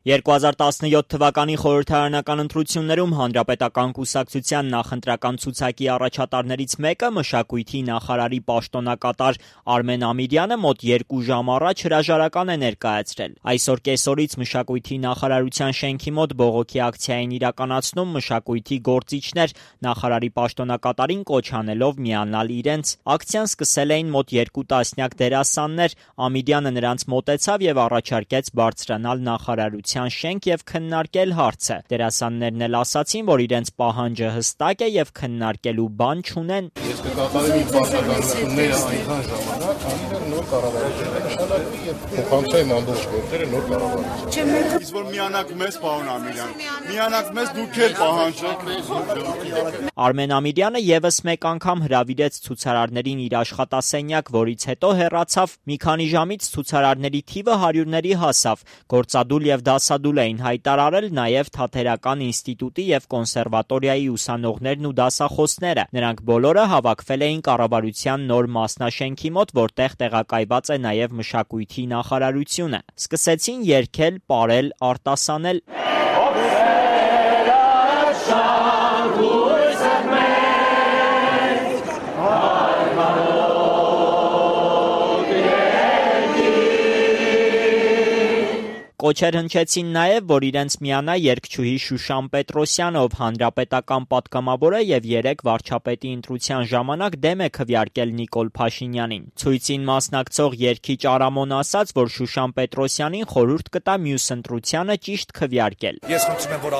2017 թվականի խորհրդարանական ընտրություններում Հանրապետական կուսակցության նախընտրական ցուցակի առաջատարներից մեկը մշակույթի նախարարի պաշտոնակատար Արմեն Ամիրյանը մոտ 2 ժամ առաջ հրաժարական է ներկայացրել։ Այսօր կեսօրից մշակույթի նախարարության շենքի մոտ բողոքի ակցիա են իրականացնում մշակույթի գործիչներ, նախարարի պաշտոնակատարին կոչ անելով միանալ իրենց։ Ակցիան սկսել էին մոտ 2 տասնյակ դերասաններ, Ամիրյանը նրանց մոտեցավ եւ առաջարկեց բարձրանալ նախարարության շենք եւ քննարկել հարցը։ Դերասաններն էլ ասացին, որ իրենց պահանջը հստակ է եւ քննարկելու բան չունեն։ Ես կկատարեմ իմ պարտականությունները այնքան ժամանակ, քանի նոր կառավարությունը նշանակվի եւ փոխանցեմ ամբողջ գործերը նոր կառավարություն։ Իսկ որ միանաք մեզ, պարոն Ամիրյան, միանաք մեզ, դուք էլ պահանջեք։ Արմեն Ամիրյանը եւս մեկ անգամ հրավիրեց ցուցարարներին իր աշխատասենյակ, որից հետո հեռացավ։ Մի քանի ժամից ցուցարարների թիվը հարյուրների հասավ։ Գործադուլ եւ դասադուլ էին հայտարարել նաեւ Թատերական ինստիտուտի եւ կոնսերվատորիայի ուսանողներն ու դասախոսները։ Նրանք բոլորը հավաքվել էին կառավարության նոր մասնաշենքի մոտ, որտեղ տեղակայված է նաեւ մշակույթի նախարարությունը։ Սկսեցին երգել, պարել, արտասանել։ Կոչեր հնչեցին նաև, որ իրենց միանա երգչուհի Շուշան Պետրոսյանը, ով հանրապետական պատգամավոր է եւ 3 վարչապետի ընտրության ժամանակ դեմ է քվեարկել Նիկոլ Փաշինյանին։ Ցույցին մասնակցող երգիչ Արամոն ասաց, որ Շուշան Պետրոսյանին խորհուրդ կտա մյուս ընտրությանը ճիշտ քվեարկել։ Ես խնդրում եմ, որ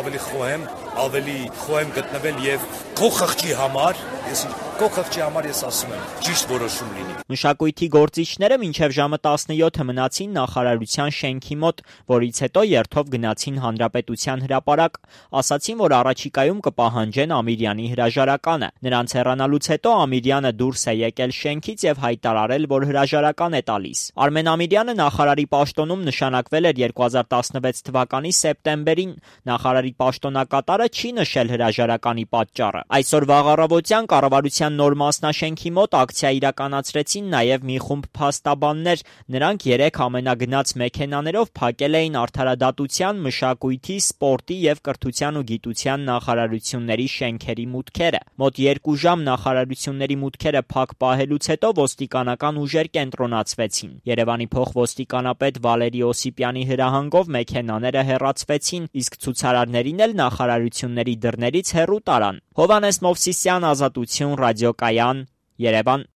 ավելի խոհեմ գտնվել եւ քո խղճի համար, ես ասում եմ, ճիշտ որոշում լինի։ Մշակույթի գործիչները մինչև ժամը 17-ը մնացին նախարարության շենքի մոտ, որից հետո երթով գնացին Հանրապետության հրապարակ, ասացին, որ առաջիկայում կպահանջեն Ամիրյանի հրաժարականը։ Նրանց հեռանալուց հետո Ամիրյանը դուրս է եկել շենքից եւ հայտարարել, որ հրաժարական է տալիս։ Արմեն Ամիրյանը նախարարի պաշտոնում նշանակվել էր 2016 թվականի սեպտեմբերին։ Նախարարի պաշտոնակատարը չի նշել հրաժարականի պատճառը։ Այսօր վաղ առավոտյան կառավարության նոր մասնաշենքի մոտ ակցիա իրականացրեցին նաեւ մի խումբ փաստաբաններ։ Նրանք 3 ամենագնաց մեքենաներով փակել էին Արդարադատության, Մշակույթի, Սպորտի եւ Կրթության ու Գիտության նախարարությունների շենքերի մուտքերը։ Մոտ 2 ժամ նախարարությունների մուտքերը փակ պահելուց հետո ոստիկանական ուժեր կենտրոնացվեցին։ Երևանի փոխոստիկանապետ Վալերի Օսիպյանի հրահանգով մեքենաները հեռացվեցին, իսկ ցուցարարներին էլ նախարարությունների դռներից հեռու տարան։ Հովհաննես Մովսիսյան, Ազատություն, ռադիոկայան, Երևան։